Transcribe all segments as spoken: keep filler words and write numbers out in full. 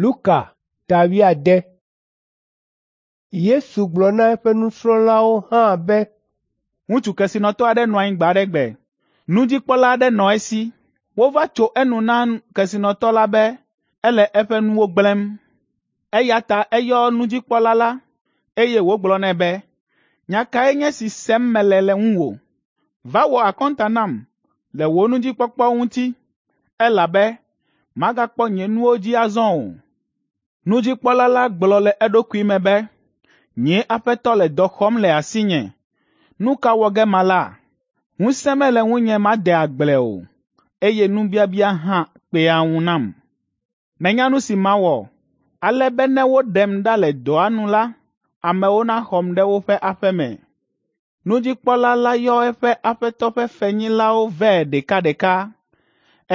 Luka ta wuiade. Yesu gblɔ na eƒe nusrɔ̃lawo hã be, Ŋutsu kesinɔtɔ aɖe nɔ anyi gbe aɖe gbe. Nudzikpɔla aɖe nɔ esi. Wova tso enu na kesinɔtɔ la be ele eƒe nuwo gblẽm. Eya ta eyɔ nudzikpɔla la, eye wògblɔ nɛ be, ‘Nya kae nye esi sem mele le ŋuwò? Va wɔ akɔnta nam le wò nudzikpɔkpɔ ŋuti, elabe magakpɔ nye nuwo dzi azɔ o.’ Nudzikpɔla la gblɔ le eɖokui me be, ‘Nye aƒetɔ le dɔ xɔm le asinye. Nu ka wɔ ge mala? Ŋusẽ mele ŋunye made agble o, eye nubiabia hã kpea ŋu nam. Menya nu si mawɔ, ale be ne woɖem ɖa le dɔa nu la, amewo naxɔm ɖe woƒe aƒe me.’ Nudzikpɔla la yɔ eƒe aƒetɔ ƒe fenyilawo vɛ ɖekaɖeka.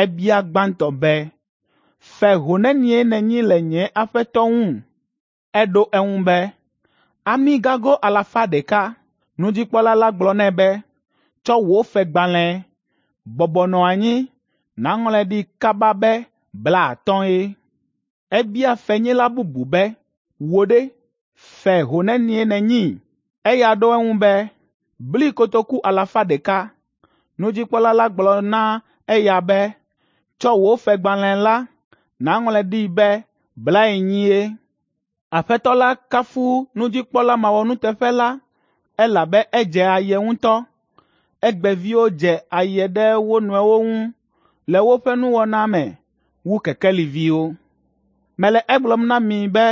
Ebia gbãtɔ be, ‘Fe ho nenie nènyi le nye aƒetɔ ŋu?’ Eɖo eŋu be, ‘Amigago alafa ɖeka.’ Nudzikpɔla la gblɔ nɛ be, ‘Tsɔ wò fegbalẽ, bɔbɔ nɔ anyi, nàŋlɔe ɖi kaba be blaatɔ̃e.’ Ebia fenyila bubu be, ‘Wò ɖe, fe ho nenie nènyi?’ Eya ɖo eŋu be, ‘Bli kotoku alafa ɖeka.’ Nudzikpɔla la gblɔ na eya be, ‘Tsɔ wò fegbalẽ la, nàŋlɔe ɖi be blaenyie.’ Aƒetɔ la kafu nudzikpɔla mawɔnuteƒe la elabe edze aye ŋutɔ. Egbeviwo dze aye ɖe wo nɔewo ŋu le woƒe nuwɔna me wu kekeliviwo. Mele egblɔm na mi be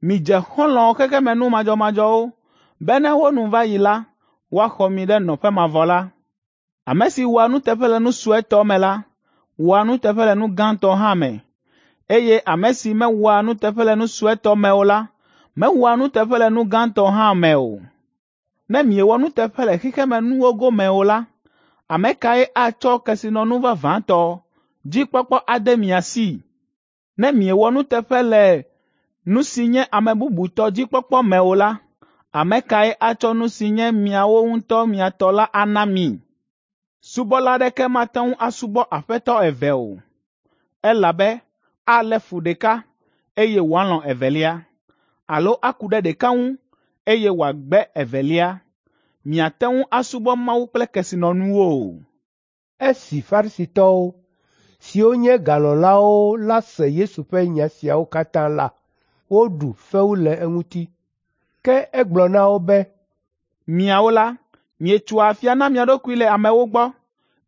midze xɔlɔ̃ xexemenu madzɔmadzɔwo be ne wo nu va yi la, woaxɔ mi ɖe nɔƒe mavɔ la. Ame si wɔa nuteƒe le nu suetɔ me la, wɔa nuteƒe le nu gãtɔ hã me, eye ame si mewɔa nuteƒe le nu suetɔ me o la, mewɔa nuteƒe le nu gãtɔ hã me o. Ne miewɔ nuteƒe le xexemenuwo gome o la, ame kae atsɔ kesinɔnu vavãtɔ dzikpɔkpɔ ade mia si? Ne miewɔ nuteƒe le nu si nye ame bubu tɔ dzikpɔkpɔ me o la, ame kae atsɔ nu si nye miawo ŋutɔ mia tɔ la ana mi? Subɔla aɖeke mate ŋu asubɔ aƒetɔ eve o, elabe alé fu ɖeka, eye wòalɔ̃ evelia, alo aku ɖe ɖeka ŋu, eye wòagbe evelia. Miate ŋu asubɔ Mawu kple kesinɔnuwo o. Esi Farisitɔwo, siwo nye galɔ̃lawo la se Yesu ƒe nya siawo katã la, woɖu fewu le eŋuti. Ke egblɔ na wo be, Miawo la, mietsoa afia na mia ɖokui le amewo gbɔ,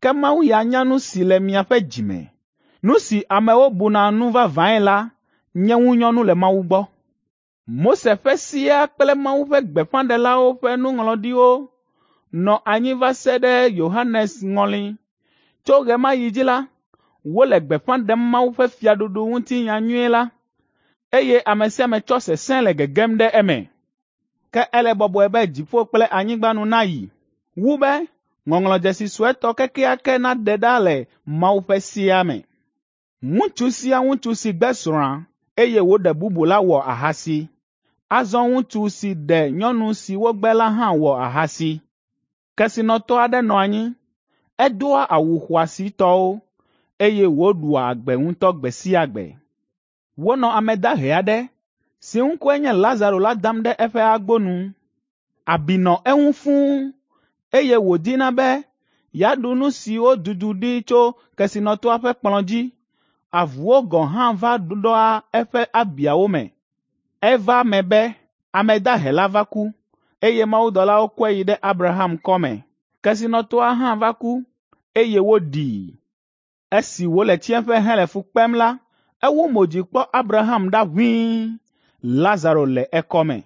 ke Mawu ya nya nu si le miaƒe dzi me. Nu si amewo buna nu vavãe la nye ŋunyɔnu le Mawu gbɔ. Mose ƒe sea kple Mawu ƒe gbeƒãɖelawo ƒe nuŋlɔɖiwo nɔ anyi va se ɖe Yohanes ŋɔli. Tso ɣe ma ɣi dzi la, wole gbeƒã ɖem Mawu ƒe fiaɖuɖu ŋuti nyanyui la, eye ame sia ame tsɔ sesẽ le gegem ɖe eme. Ke ele bɔbɔe be dziƒo kple anyigba nu nayi wu be ŋɔŋlɔdzesi suetɔ kekeake naɖe ɖa le Mawu ƒe sea me. Ŋutsu sia ŋutsu si gbe srɔ̃a, eye wòɖe bubu la wɔ ahasi. Azɔ ŋutsu si ɖe nyɔnu si wogbe la hã wɔ ahasi. Kesinɔtɔ aɖe nɔ anyi. Edoa awu xɔasitɔwo, eye wòɖua agbe ŋutɔ gbe sia gbe. Wonɔ ame dahe aɖe si ŋkɔe nye Lazaro la dam ɖe eƒe agbo nu. Abi nɔ eŋu fũu, eye wòdina be yeaɖu nu siwo dudu ɖi tso kesinɔtɔa ƒe kplɔ̃ dzi. Avuwo gɔ̃ hã va ɖoa eƒe abiawo me. Eva eme be ame dahe la va ku, eye mawudɔlawo kɔe yi ɖe Abraham kɔme. Kesinɔtɔa hã va ku, eye woɖii. Esi wòle tsiẽƒe hele fu kpem la, ewu mo dzi kpɔ Abraham ɖa ʋĩi, Lazaro le ekɔme.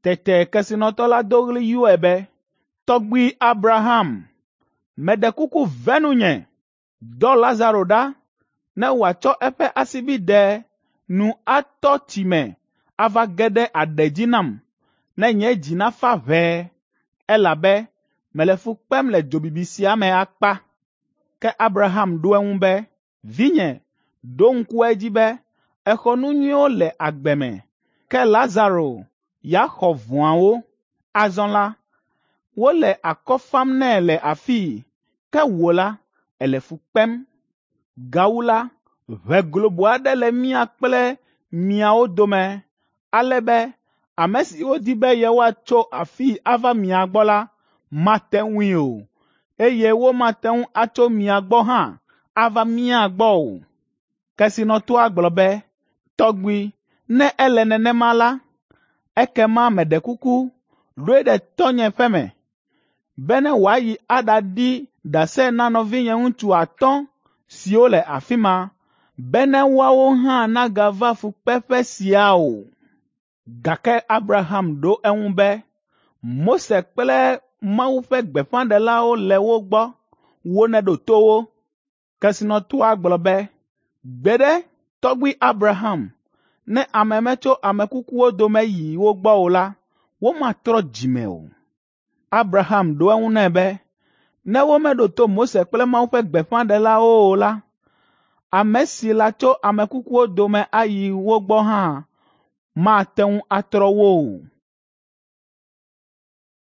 Tete kesinɔtɔ la do ɣli yɔe be, ‘Tɔgbui Abraham, meɖe kuku ve nunye. Dɔ Lazaro ɖa ne wòatsɔ eƒe asibidɛ nu atɔ tsi me ava ge ɖe aɖe dzi nam, ne nye dzi nafa ʋɛe, elabe mele fu kpem le dzobibi sia me akpa.’ Ke Abraham ɖo eŋu be, ‘Vinye, ɖo ŋku edzi be èxɔ nu nyuiwo le agbe me, ke Lazaro ya xɔ vɔ̃awo. Azɔ la, wole akɔ fam nɛ le afii, ke wò la, èle fu kpem. Gawu la, ʋe globo aɖe le mía kple miawo dome ale be ame siwo di be yewoatso afii ava mia gbɔ la mate ŋui o, eye womate ŋu atso mia gbɔ hã ava mía gbɔ o.’ Kesinɔtɔa gblɔ be, ‘Tɔgbui, ne ele nenema la, ekema meɖe kuku, ɖoe ɖe tɔ́nye ƒe me, bene wòayi aɖaɖi ɖase na nɔvinye ŋutsu atɔ̃ siwo le afi ma, bene woawo hã nagava fukpeƒe sia o.’ Gake Abraham ɖo eŋu be, ‘Mose kple Mawu ƒe gbeƒãɖelawo le wo gbɔ, woneɖo to wo.’ Kesinɔtɔa gblɔ be, ‘Gbeɖe, tɔgbui Abraham, ne ame metso ame kukuwo dome yi wo gbɔ o la, womatrɔ dzi me o.’ Abraham ɖo eŋu nɛ be, ‘Ne womeɖo to Mose kple Mawu ƒe gbeƒãɖelawo o la, ame si latso ame kukuwo dome ayi wo gbɔ hã mate ŋu atrɔ wo o.’